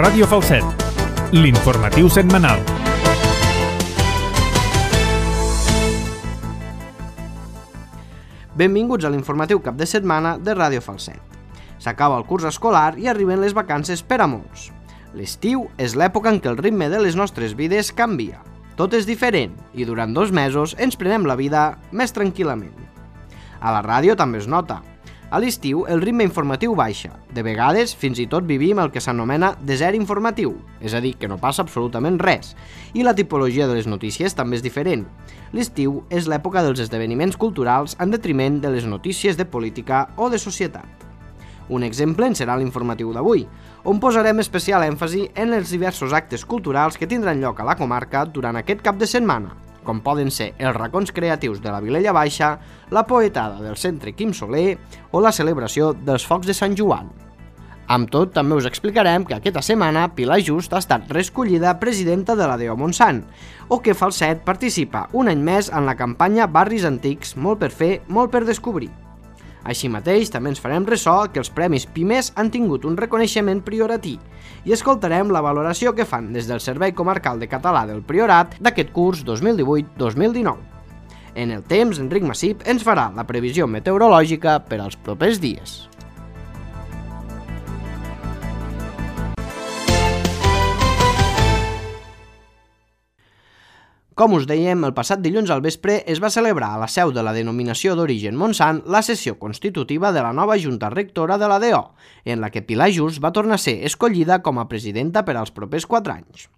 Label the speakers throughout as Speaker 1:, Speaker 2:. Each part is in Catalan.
Speaker 1: Ràdio Falset, l'informatiu setmanal.
Speaker 2: Benvinguts a l'informatiu cap de setmana de Ràdio Falset. S'acaba el curs escolar i arriben les vacances per a molts. L'estiu és l'època en què el ritme de les nostres vides canvia. Tot és diferent i durant 2 mesos ens prenem la vida més tranquil·lament. A la ràdio també es nota. A l'estiu el ritme informatiu baixa. De vegades fins i tot vivim el que s'anomena desert informatiu, és a dir, que no passa absolutament res. I la tipologia de les notícies també és diferent. L'estiu és l'època dels esdeveniments culturals en detriment de les notícies de política o de societat. Un exemple en serà l'informatiu d'avui, on posarem especial èmfasi en els diversos actes culturals que tindran lloc a la comarca durant aquest cap de setmana, com poden ser els racons creatius de la Vilella Baixa, la poetada del Centre Quim Soler o la celebració dels Focs de Sant Joan. Amb tot, també us explicarem que aquesta setmana Pilar Just ha estat reescollida presidenta de la DO Montsant, o que Falset participa un any més en la campanya Barris Antics, molt per fer, molt per descobrir. Així mateix, també ens farem ressò que els Premis Pimes han tingut un reconeixement prioratí i escoltarem la valoració que fan des del Servei Comarcal de Català del Priorat d'aquest curs 2018-2019. En el temps, Enric Massip ens farà la previsió meteorològica per als propers dies. Com us dèiem, el passat dilluns al vespre es va celebrar a la seu de la denominació d'origen Montsant la sessió constitutiva de la nova Junta Rectora de la DO, en la que Pilar Just va tornar a ser escollida com a presidenta per als propers 4 anys.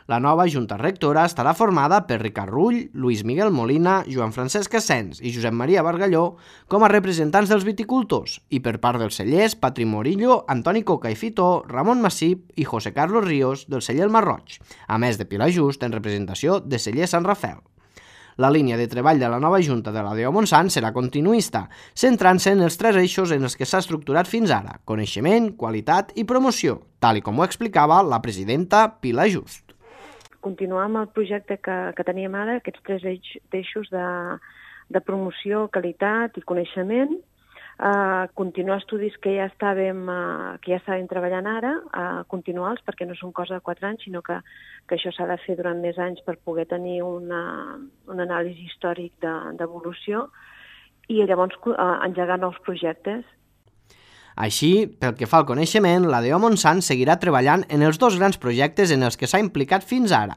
Speaker 2: La nova Junta Rectora estarà formada per Ricard Rull, Lluís Miguel Molina, Joan Francesc Asens i Josep Maria Bargalló com a representants dels viticultors i per part dels cellers Patri Morillo, Antoni Coca i Fitó, Ramon Massip i José Carlos Ríos del celler El Marroig, a més de Pilar Just en representació de celler Sant Rafael. La línia de treball de la nova Junta de la DO Montsant serà continuista, centrant-se en els 3 eixos en els que s'ha estructurat fins ara: coneixement, qualitat i promoció, tal i com ho explicava la presidenta Pilar Just.
Speaker 3: Continuar amb el projecte que teníem ara, aquests 3 eixos de promoció, qualitat i coneixement, continuar estudis que ja estàvem treballant ara, continuar-los perquè no són cosa de 4 anys, sinó que això s'ha de fer durant més anys per poder tenir un anàlisi històric d'evolució i llavors engegar nous projectes.
Speaker 2: Així, pel que fa al coneixement, la DO Montsant seguirà treballant en els 2 grans projectes en els que s'ha implicat fins ara,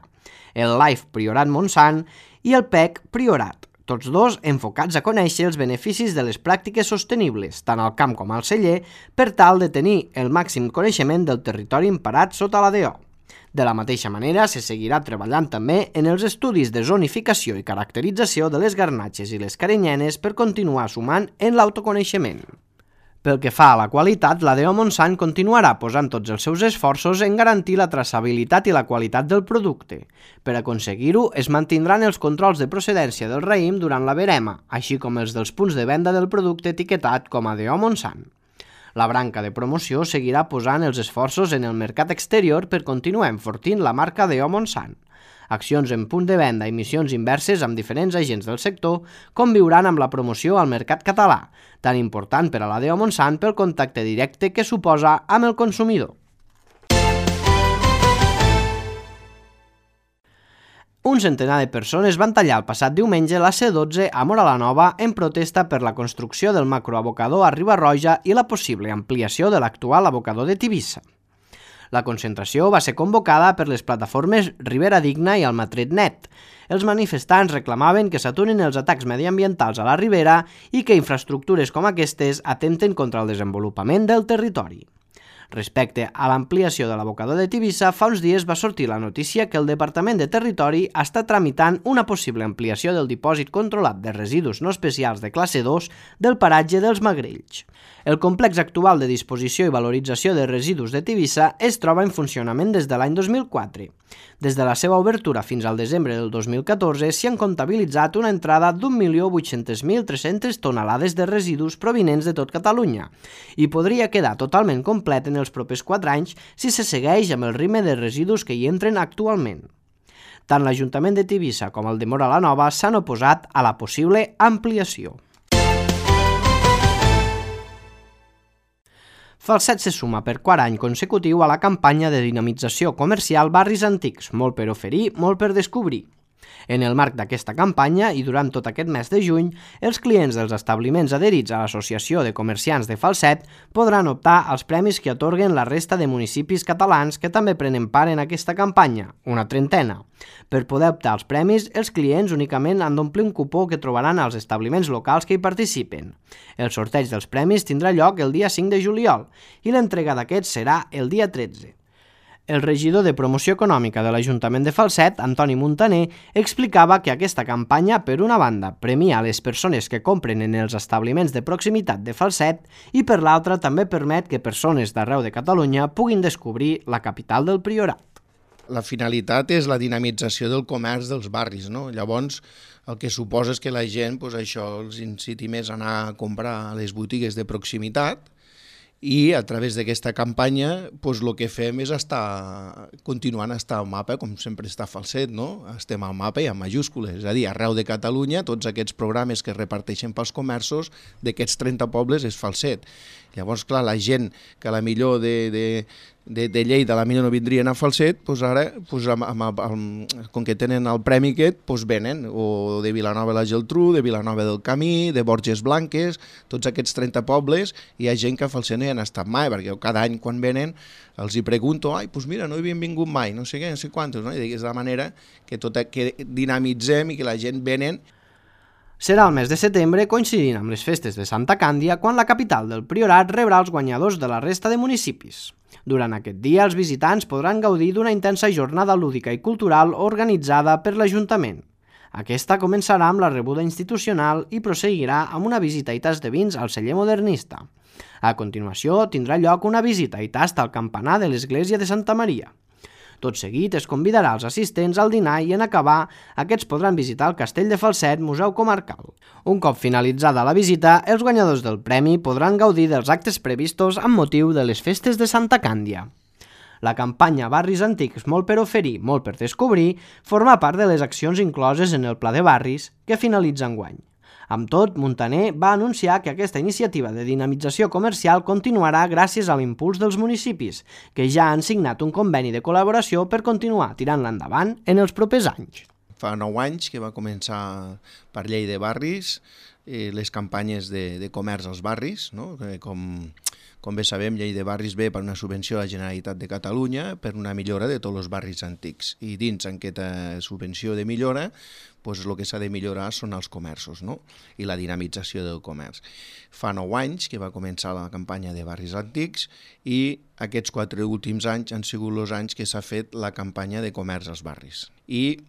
Speaker 2: el LIFE Priorat Montsant i el PEC Priorat, tots 2 enfocats a conèixer els beneficis de les pràctiques sostenibles, tant al camp com al celler, per tal de tenir el màxim coneixement del territori emparat sota la DO. De la mateixa manera, se seguirà treballant també en els estudis de zonificació i caracterització de les garnatxes i les carinyenes per continuar sumant en l'autoconeixement. Pel que fa a la qualitat, la DO Montsant continuarà posant tots els seus esforços en garantir la traçabilitat i la qualitat del producte. Per aconseguir-ho, es mantindran els controls de procedència del raïm durant la verema, així com els dels punts de venda del producte etiquetat com a DO Montsant. La branca de promoció seguirà posant els esforços en el mercat exterior per continuar enfortint la marca DO Montsant. Accions en punt de venda i missions inverses amb diferents agents del sector conviuran amb la promoció al mercat català, tan important per a la DO Montsant pel contacte directe que suposa amb el consumidor. Un centenar de persones van tallar el passat diumenge la C12 a Móra la Nova en protesta per la construcció del macroabocador a Riba-roja i la possible ampliació de l'actual abocador de Tivissa. La concentració va ser convocada per les plataformes Ribera Digna i Almatret.net. Els manifestants reclamaven que s'aturin els atacs mediambientals a la Ribera i que infraestructures com aquestes atempten contra el desenvolupament del territori. Respecte a l'ampliació de l'abocador de Tivissa, fa uns dies va sortir la notícia que el Departament de Territori està tramitant una possible ampliació del dipòsit controlat de residus no especials de classe 2 del paratge dels Magrells. El complex actual de disposició i valorització de residus de Tivissa es troba en funcionament des de l'any 2004. Des de la seva obertura fins al desembre del 2014 s'hi han comptabilitzat una entrada d'1.800.300 tonelades de residus provinents de tot Catalunya i podria quedar totalment complet en els propers 4 anys si se segueix amb el ritme de residus que hi entren actualment. Tant l'Ajuntament de Tivissa com el de Móra la Nova s'han oposat a la possible ampliació. Falset se suma per quart any consecutiu a la campanya de dinamització comercial Barris Antics, molt per oferir, molt per descobrir. En el marc d'aquesta campanya i durant tot aquest mes de juny, els clients dels establiments adherits a l'Associació de Comerciants de Falset podran optar als premis que atorguen la resta de municipis catalans que també prenen part en aquesta campanya, una trentena. Per poder optar als premis, els clients únicament han d'omplir un cupó que trobaran als establiments locals que hi participen. El sorteig dels premis tindrà lloc el dia 5 de juliol i l'entrega d'aquests serà el dia 13. El regidor de Promoció Econòmica de l'Ajuntament de Falset, Antoni Muntaner, explicava que aquesta campanya, per una banda, premia les persones que compren en els establiments de proximitat de Falset i per l'altra també permet que persones d'arreu de Catalunya puguin descobrir la capital del Priorat.
Speaker 4: La finalitat és la dinamització del comerç dels barris, no? Llavors, el que suposa és que la gent, això els inciti més a anar a comprar a les botigues de proximitat, i a través d'aquesta campanya el que fem és continuant a estar al mapa, com sempre està Falset, no? Estem al mapa i amb majúscules, és a dir, arreu de Catalunya, tots aquests programes que es reparteixen pels comerços d'aquests 30 pobles és Falset. Llavors, clar, la gent que a la millor de Lleida a la millor no vindrien a Falset, ara, com que tenen el premi aquest, venen, o de Vilanova la Geltrú, de Vilanova del Camí, de Borges Blanques, tots aquests 30 pobles, hi ha gent que a Falset no hi han estat mai, perquè cada any quan venen els hi pregunto, mira, no hi havien vingut mai, no sé què, no sé quantos, no? I és de la manera que dinamitzem i que la gent venen.
Speaker 2: Serà el mes de setembre, coincidint amb les festes de Santa Càndia, quan la capital del Priorat rebrà els guanyadors de la resta de municipis. Durant aquest dia, els visitants podran gaudir d'una intensa jornada lúdica i cultural organitzada per l'Ajuntament. Aquesta començarà amb la rebuda institucional i proseguirà amb una visita i tast de vins al celler modernista. A continuació, tindrà lloc una visita i tast al campanar de l'església de Santa Maria. Tot seguit es convidarà els assistents al dinar i en acabar, aquests podran visitar el Castell de Falset, Museu Comarcal. Un cop finalitzada la visita, els guanyadors del premi podran gaudir dels actes previstos amb motiu de les festes de Santa Càndia. La campanya Barris Antics, molt per oferir, molt per descobrir, forma part de les accions incloses en el Pla de Barris, que finalitza enguany. Amb tot, Muntaner va anunciar que aquesta iniciativa de dinamització comercial continuarà gràcies a l'impuls dels municipis, que ja han signat un conveni de col·laboració per continuar tirant-la endavant en els propers anys.
Speaker 4: Fa 9 anys que va començar per Llei de Barris les campanyes de comerç als barris, no? Com bé sabem, Llei de Barris ve per una subvenció a la Generalitat de Catalunya per una millora de tots els barris antics. I dins aquesta subvenció de millora, el que s'ha de millorar són els comerços, no? I la dinamització del comerç. Fa 9 anys que va començar la campanya de Barris Antics i aquests 4 últims anys han sigut els anys que s'ha fet la campanya de comerç als barris. I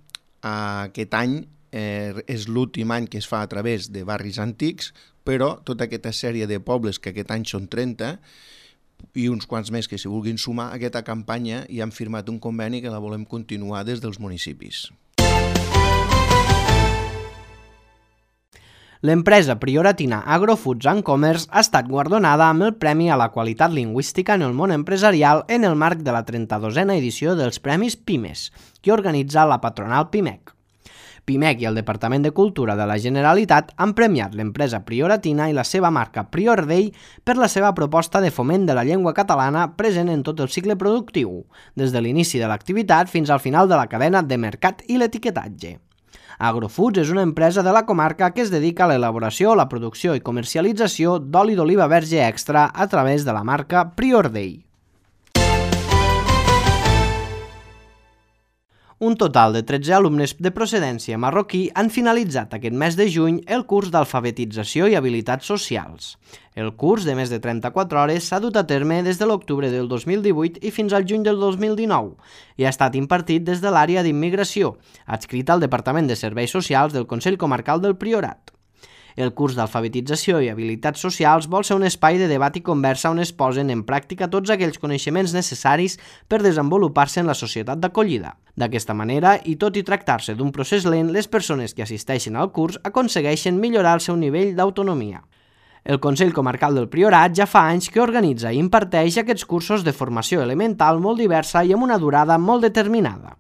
Speaker 4: aquest any és l'últim any que es fa a través de Barris Antics, però tota aquesta sèrie de pobles, que aquest any són 30, i uns quants més que s'hi vulguin sumar a aquesta campanya, i han firmat un conveni que la volem continuar des dels municipis.
Speaker 2: L'empresa prioratina Agrofoods and Commerce ha estat guardonada amb el Premi a la Qualitat Lingüística en el Món Empresarial en el marc de la 32a edició dels Premis PIMES, que organitza la patronal PIMEC. PIMEC i el Departament de Cultura de la Generalitat han premiat l'empresa prioratina i la seva marca Priordell per la seva proposta de foment de la llengua catalana present en tot el cicle productiu, des de l'inici de l'activitat fins al final de la cadena de mercat i l'etiquetatge. Agrofoods és una empresa de la comarca que es dedica a l'elaboració, la producció i comercialització d'oli d'oliva verge extra a través de la marca Priordell. Un total de 13 alumnes de procedència marroquí han finalitzat aquest mes de juny el curs d'alfabetització i habilitats socials. El curs, de més de 34 hores, s'ha dut a terme des de l'octubre del 2018 i fins al juny del 2019 i ha estat impartit des de l'àrea d'immigració, adscrita al Departament de Serveis Socials del Consell Comarcal del Priorat. El curs d'alfabetització i habilitats socials vol ser un espai de debat i conversa on es posen en pràctica tots aquells coneixements necessaris per desenvolupar-se en la societat d'acollida. D'aquesta manera, i tot i tractar-se d'un procés lent, les persones que assisteixen al curs aconsegueixen millorar el seu nivell d'autonomia. El Consell Comarcal del Priorat ja fa anys que organitza i imparteix aquests cursos de formació elemental molt diversa i amb una durada molt determinada.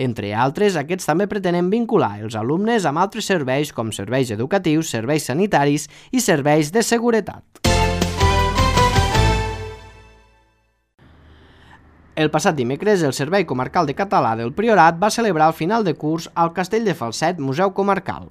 Speaker 2: Entre altres, aquests també pretenen vincular els alumnes amb altres serveis com serveis educatius, serveis sanitaris i serveis de seguretat. El passat dimecres, el Servei Comarcal de Català del Priorat va celebrar el final de curs al Castell de Falset Museu Comarcal.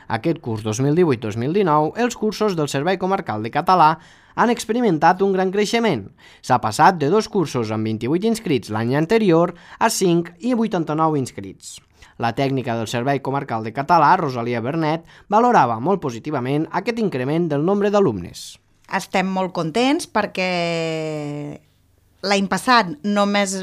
Speaker 2: Aquest curs 2018-2019, els cursos del Servei Comarcal de Català han experimentat un gran creixement. S'ha passat de 2 cursos amb 28 inscrits l'any anterior a 5 i 89 inscrits. La tècnica del Servei Comarcal de Català, Rosalia Bernet, valorava molt positivament aquest increment del nombre d'alumnes.
Speaker 5: Estem molt contents perquè l'any passat només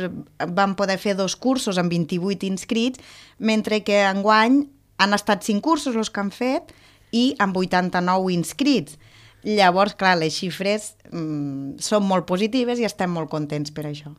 Speaker 5: vam poder fer 2 cursos amb 28 inscrits, mentre que enguany han estat 5 cursos els que han fet i amb 89 inscrits. Llavors, clar, les xifres són molt positives i estem molt contents per això.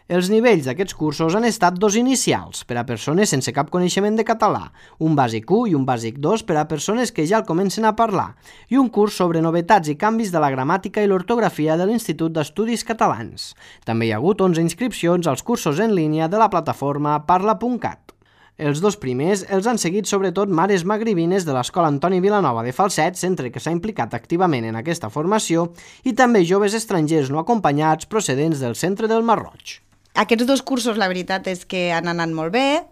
Speaker 2: Els nivells d'aquests cursos han estat 2 inicials per a persones sense cap coneixement de català, un bàsic 1 i un bàsic 2 per a persones que ja el comencen a parlar, i un curs sobre novetats i canvis de la gramàtica i l'ortografia de l'Institut d'Estudis Catalans. També hi ha hagut 11 inscripcions als cursos en línia de la plataforma Parla.cat. Els 2 primers els han seguit sobretot mares magribines de l'Escola Antoni Vilanova de Falset, centre que s'ha implicat activament en aquesta formació, i també joves estrangers no acompanyats procedents del centre del Mar Roig.
Speaker 5: Aquests 2 cursos, la veritat és que han anat molt bé,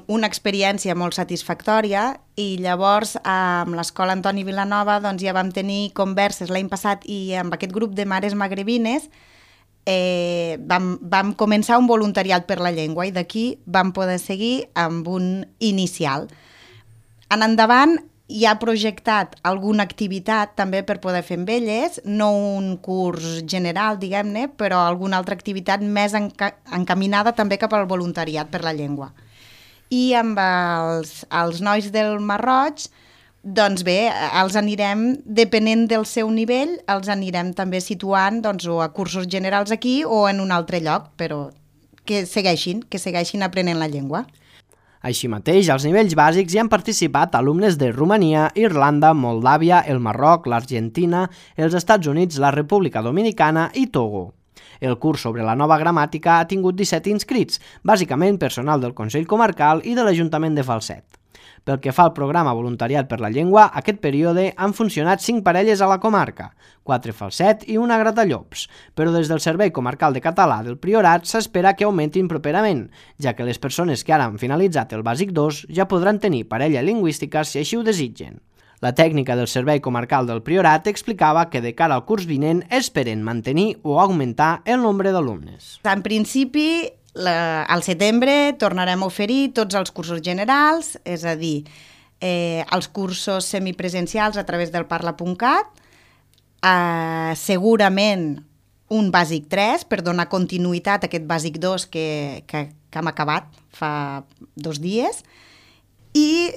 Speaker 5: una experiència molt satisfactòria, i llavors amb l'Escola Antoni Vilanova doncs, ja vam tenir converses l'any passat i amb aquest grup de mares magribines vam començar un voluntariat per la llengua i d'aquí vam poder seguir amb un inicial. En endavant hi ha projectat alguna activitat també per poder fer amb elles, no un curs general, diguem-ne, però alguna altra activitat més encaminada també cap al voluntariat per la llengua. I amb els nois del Mar Roig, doncs bé, els anirem, depenent del seu nivell, els anirem també situant doncs, o a cursos generals aquí o en un altre lloc, però que segueixin aprenent la llengua.
Speaker 2: Així mateix, als nivells bàsics hi han participat alumnes de Romania, Irlanda, Moldàvia, el Marroc, l'Argentina, els Estats Units, la República Dominicana i Togo. El curs sobre la nova gramàtica ha tingut 17 inscrits, bàsicament personal del Consell Comarcal i de l'Ajuntament de Falset. Pel que fa al programa Voluntariat per la Llengua, aquest període han funcionat 5 parelles a la comarca, 4 Falset i una Gratallops, però des del Servei Comarcal de Català del Priorat s'espera que augmentin properament, ja que les persones que ara han finalitzat el bàsic 2 ja podran tenir parella lingüística si així ho desitgen. La tècnica del Servei Comarcal del Priorat explicava que de cara al curs vinent esperen mantenir o augmentar el nombre d'alumnes.
Speaker 5: En principi, al setembre tornarem a oferir tots els cursos generals, és a dir, els cursos semipresencials a través del Parla.cat, segurament un bàsic 3 per donar continuïtat a aquest bàsic 2 que hem acabat fa 2 dies, i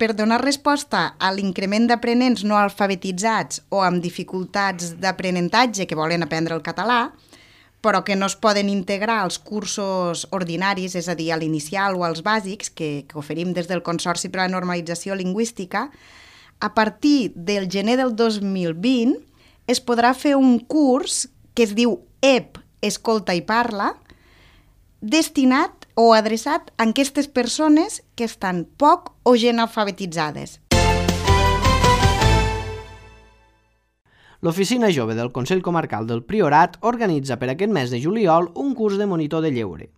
Speaker 5: per donar resposta a l'increment d'aprenents no alfabetitzats o amb dificultats d'aprenentatge que volen aprendre el català, però que no es poden integrar als cursos ordinaris, és a dir, a l'inicial o als bàsics, que oferim des del Consorci per a la Normalització Lingüística, a partir del gener del 2020 es podrà fer un curs que es diu EP, Escolta i Parla, destinat o adreçat a aquestes persones que estan poc o gent alfabetitzades.
Speaker 2: L'Oficina Jove del Consell Comarcal del Priorat organitza per aquest mes de juliol un curs de monitor de lleure.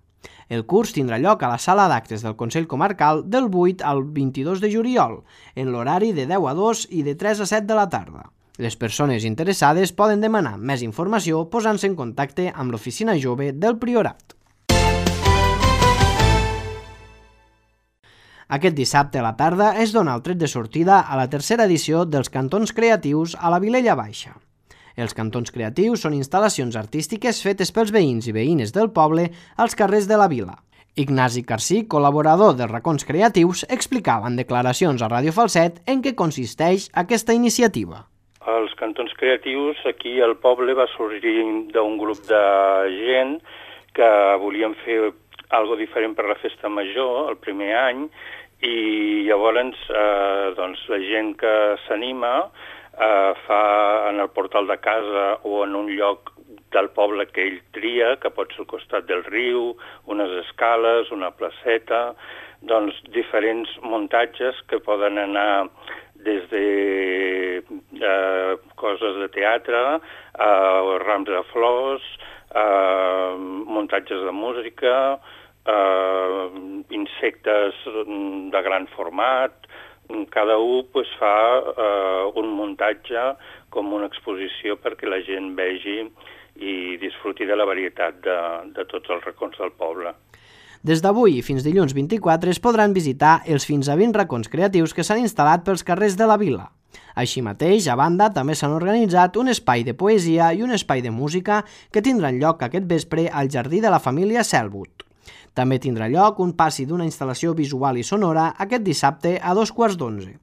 Speaker 2: El curs tindrà lloc a la sala d'actes del Consell Comarcal del 8 al 22 de juliol, en l'horari de 10 a 2 i de 3 a 7 de la tarda. Les persones interessades poden demanar més informació posant-se en contacte amb l'Oficina Jove del Priorat. Aquest dissabte a la tarda es dona el tret de sortida a la tercera edició dels Cantons Creatius a la Vilella Baixa. Els Cantons Creatius són instal·lacions artístiques fetes pels veïns i veïnes del poble als carrers de la vila. Ignasi Carcí, col·laborador dels Racons Creatius, explicava en declaracions a Ràdio Falset en què consisteix aquesta iniciativa.
Speaker 6: Els Cantons Creatius aquí al poble va sorgir d'un grup de gent que volien fer algo diferent per la festa major el primer any, i llavors doncs, la gent que s'anima fa en el portal de casa o en un lloc del poble que ell tria, que pot ser al costat del riu, unes escales, una placeta, doncs diferents muntatges que poden anar des de coses de teatre, rams de flors, muntatges de música, insectes de gran format. Cada un fa un muntatge com una exposició perquè la gent vegi i disfruti de la varietat de tots els racons del poble.
Speaker 2: Des d'avui fins dilluns 24 es podran visitar els fins a 20 racons creatius que s'han instal·lat pels carrers de la vila. Així mateix, a banda, també s'han organitzat un espai de poesia i un espai de música que tindran lloc aquest vespre al Jardí de la Família Selwood. També tindrà lloc un passi d'una instal·lació visual i sonora aquest dissabte a 11:15.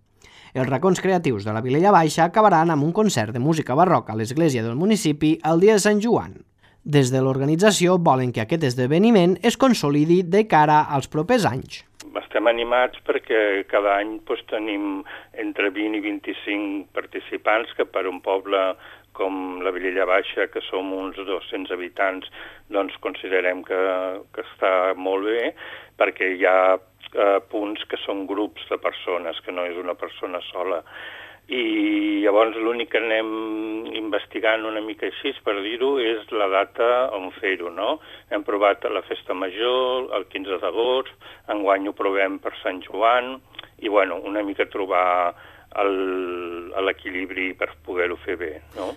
Speaker 2: Els racons creatius de la Vilella Baixa acabaran amb un concert de música barroca a l'església del municipi el dia de Sant Joan. Des de l'organització volen que aquest esdeveniment es consolidi de cara als propers anys.
Speaker 6: Estem animats perquè cada any tenim entre 20 i 25 participants, que per un poble com la Vilella Baixa, que som uns 200 habitants, doncs considerem que està molt bé, perquè hi ha punts que són grups de persones, que no és una persona sola. I llavors l'únic que anem investigant una mica així, per dir-ho, és la data on fer-ho, no? Hem provat a la Festa Major, el 15 d'agost, enguany ho provem per Sant Joan, i bueno, una mica trobar l'equilibri per poder-ho fer bé, no?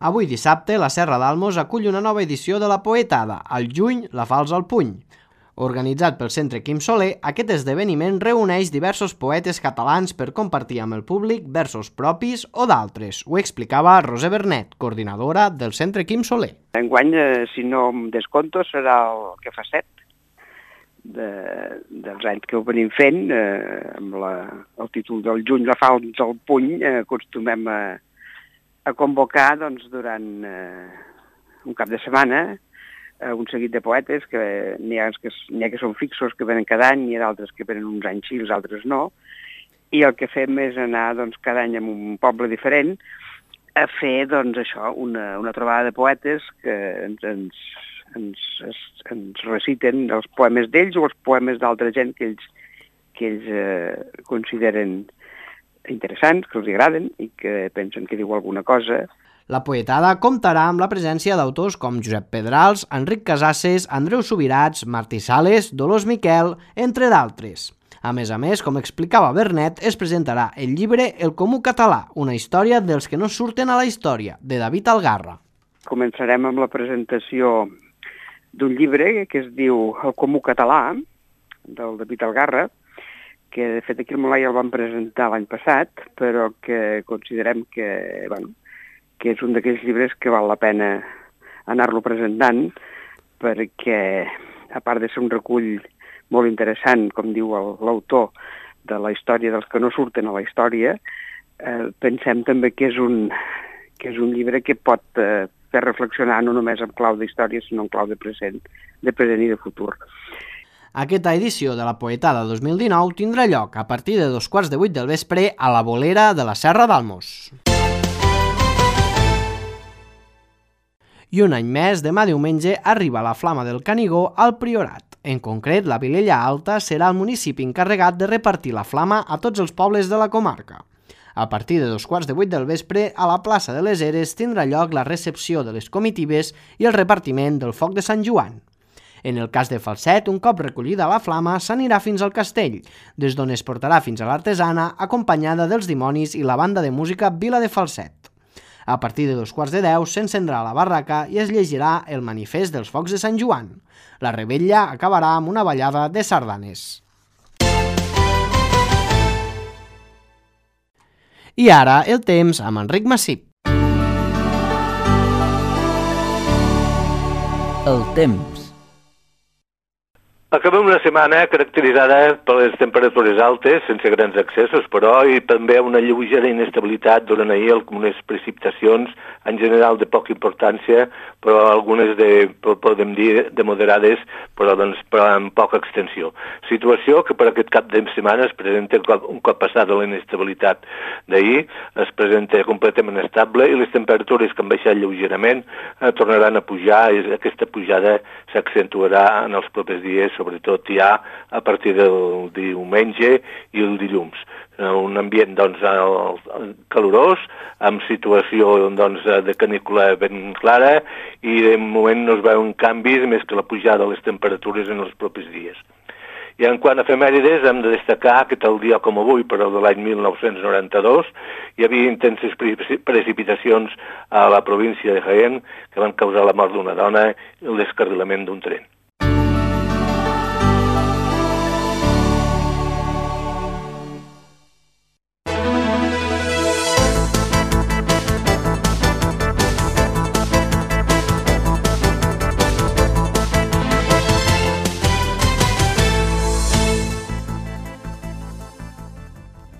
Speaker 2: Avui dissabte, la Serra d'Almos acull una nova edició de la Poetada, al juny, la Falç al puny. Organitzat pel Centre Quim Soler, aquest esdeveniment reuneix diversos poetes catalans per compartir amb el públic versos propis o d'altres. Ho explicava Roser Bernet, coordinadora del Centre Quim Soler.
Speaker 7: Enguany, si no em descompto, serà el que fa 7 dels anys que ho venim fent, amb el títol del juny, la Falç al puny, acostumem a convocar durant un cap de setmana un seguit de poetes, que n'hi ha que són fixos, que venen cada any, n'hi ha d'altres que venen uns anys sí, els altres no, i el que fem és anar cada any a un poble diferent a fer això, una trobada de poetes que ens reciten els poemes d'ells o els poemes d'altra gent que ells consideren interessants, que els agraden i que pensen que diu alguna cosa.
Speaker 2: La Poetada comptarà amb la presència d'autors com Josep Pedrals, Enric Casasses, Andreu Subirats, Martí Sales, Dolors Miquel, entre d'altres. A més, com explicava Bernet, es presentarà el llibre El Comú Català, una història dels que no surten a la història, de David Algarra.
Speaker 7: Començarem amb la presentació d'un llibre que es diu El Comú Català, del David Algarra, que de fet aquí al Molai el vam presentar l'any passat, però que considerem que és un d'aquells llibres que val la pena anar-lo presentant, perquè, a part de ser un recull molt interessant, com diu l'autor, de la història dels que no surten a la història, pensem també que és un llibre que pot fer reflexionar no només en clau d'història, sinó en clau de present i de futur.
Speaker 2: Aquesta edició de la Poetada 2019 tindrà lloc a partir de 7:15 del vespre a la Bolera de la Serra d'Almos. I un any més, demà diumenge, arriba la Flama del Canigó al Priorat. En concret, la Vilella Alta serà el municipi encarregat de repartir la flama a tots els pobles de la comarca. A partir de 7:15 del vespre, a la plaça de les Eres tindrà lloc la recepció de les comitives i el repartiment del foc de Sant Joan. En el cas de Falset, un cop recollida la flama, s'anirà fins al castell, des d'on es portarà fins a l'artesana, acompanyada dels dimonis i la banda de música Vila de Falset. A partir de 9:15 s'encendrà la barraca i es llegirà el manifest dels focs de Sant Joan. La revetlla acabarà amb una ballada de sardanes. I ara el temps amb Enric Massip.
Speaker 8: El temps.
Speaker 9: Acabem una setmana caracteritzada per les temperatures altes, sense grans excessos, però i també una lleugera inestabilitat durant ahir algunes precipitacions, en general de poca importància, però algunes podem dir, de moderades, però amb poca extensió. Situació que per aquest cap de setmana es presenta un cop passada la inestabilitat d'ahir es presenta completament estable i les temperatures que han baixat lleugerament tornaran a pujar i aquesta pujada s'accentuarà en els propers dies, sobretot ja a partir del diumenge i el dilluns. Un ambient doncs, calorós, amb situació doncs, de canícula ben clara i de moment no es veuen canvis més que la pujada de les temperatures en els propers dies. I en quant a efemèrides, hem de destacar que tal dia com avui, però de l'any 1992, hi havia intenses precipitacions a la província de Jaén que van causar la mort d'una dona i el descarrilament d'un tren.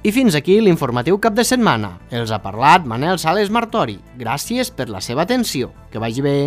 Speaker 2: I fins aquí l'informatiu cap de setmana. Els ha parlat Manel Sales Martori. Gràcies per la seva atenció. Que vagi bé.